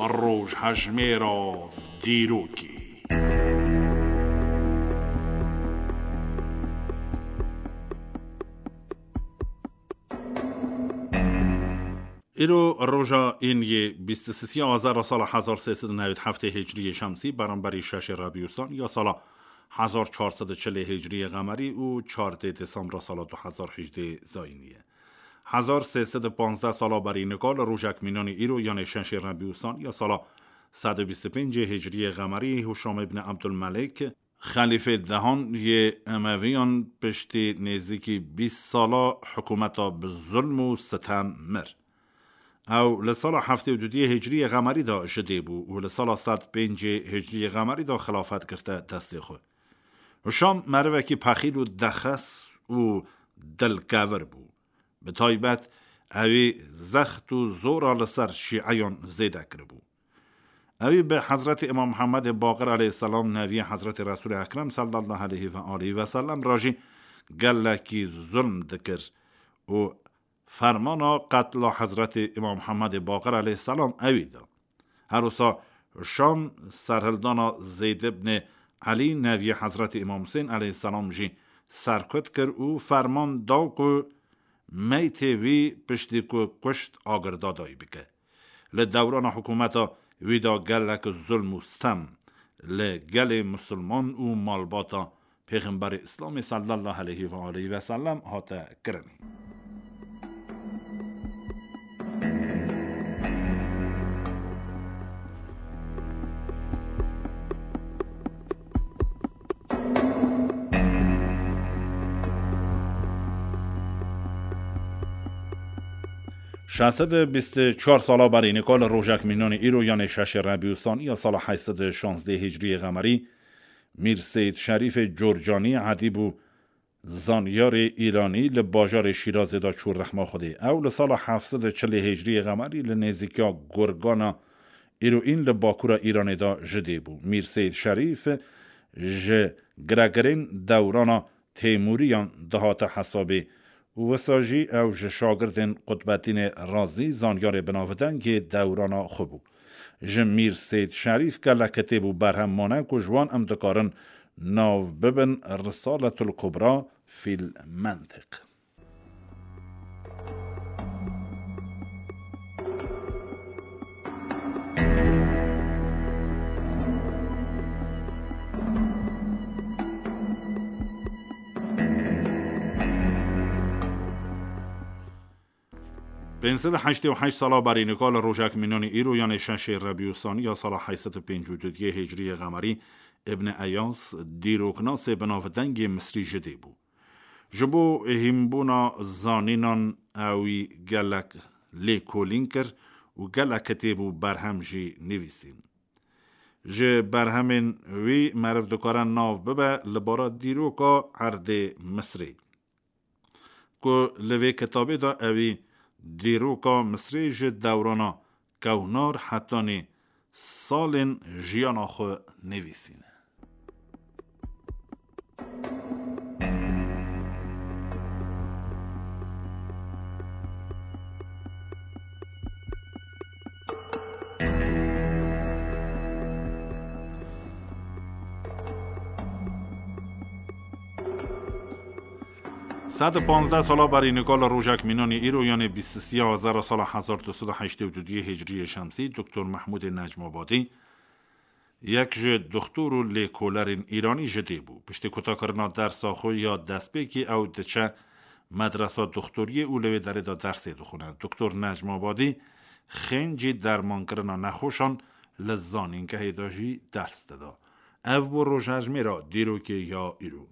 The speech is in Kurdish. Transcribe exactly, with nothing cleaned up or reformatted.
Rojhejmêra dîrokê. Îro roja ên yê bîst û sisiya Azara sala hezar sê sed û newî heftê Hicriyê Şemsî, beramberî şeşê Rebî Usan ya sala hezar çar sed û çilê Hicriyê Qemerî û çardê Desembra sala du hezar hejdê Zayînî ye. Hezar sê sed û panzdeh sala berî nika li rojek mînanî îro, yanê şeşê Rebî Usan ya sala sed û bîst û pêncê Hicriyê Qemerî, Hişam ibn Ebdulmelek, xelîfê dehan yê Emeviyan, piştî nêzîkî bîst sala hikûmeta bi zulm û sitem mir. Ew li sala heftê û dudiyê Hicriyê Qemerî de ji dê bû û li sala sed pêncê Hicriyê Qemerî de xilafet girte destê xwe. Hişam merivekî pexîl û dexes û dilkevir bû. Bi taybet ewî zext û zora li ser şîeyan zêde kiribû. Ewî bi Hezretî Îmam Muhammedê Baqir aleyhisselam, neviyê Hezretî Resûlê Ekrem sallallahu aleyhi ve aleyhi ve sellem re jî gelekî zulm dikir û fermana qetla Hezretî Îmam Muhammedê Baqir aleyhisselam ewî da. Her wisa Şam serhildana Zeyd ibn Elî, neviyê Hezretî Îmam Husên aleyhisselam jî serkut kir û ferman da ku meytê wî piştî ku kuşt agirda dayî bike. Li dewrana hikûmeta wî de gelek zulm û stem li gelê misilman û malbata Pêxemberê Îslamê sallallahu aleyhi ve aleyhi ve sellem hate kirinê. Şeş sed û bîst û çar sala berî nika li rojek mînanî îro, yanê şeşê Rebî Usan ya sala heyt sed û şazdeh Hicriyê Qemerî, Mîr Seyîd Şerîfê Corcanî, edîb û zanyarê îranî, li bajarê Şîrazê de çû rehma Xwedê. Ew li sala heft sed û çilê Hicriyê Qemerî li nêzîkiya Gurgana îroîn li bakûra Îranê de ji dê bû. Mîr Seyîd Şerîf ji giregirên dewrana Têmûriyan dihate hesabê û wisa jî ew ji şagirdên Qutbedînê Razî, zanyarê binavdengê dewrana xwe bû. Ji Mîr Seyîd Şerîf gelek kitêb û berhem mane ku ji wan em dikarin nav bibin Risaletul Kubra fîl Mentiq. Pênc sed û heştê û heşt sala berî nika li rojek mînanî îro, yanê şeşê Rebî Usanî ya sala heyt sed û pêncî û duyê Hicriyê Qemerî, Ibn Eyas, dîroknasê binavdengê Misrî ji dê bû. Ji bo hînbûna zanînan ewî gelek lêkolîn kir û gelek kitêb û berhem jî nivîsîn. Ji berhemên wî meriv dikare nav bibe li bara dîroka erdê Misrê, ku li vê kitabê de ewî dîroka Misrê ji dewrana kewnar hetanî salên jiyana xwe nivîsîne. Sed û panzdeh sala berî nika li rojek mînanî îro, yanê bîst û sê Azara sala hezar du sed û heştê û du Hicriyê Şemsî, Doktor Mehmûdê Necmabadî, yek ji doktor û lêkolerên Îranî ji dê bû. Piştî kutakirina dersa xwe ya destpêkê ew diçe medresa doktoriyê û li wê derê de dersê dixwine. Doktor Necmabadî xêncî dermankirina nexweşan li zanîngehê de jî ders dida. Ev bû rojhejmêra dîrokê ya îro.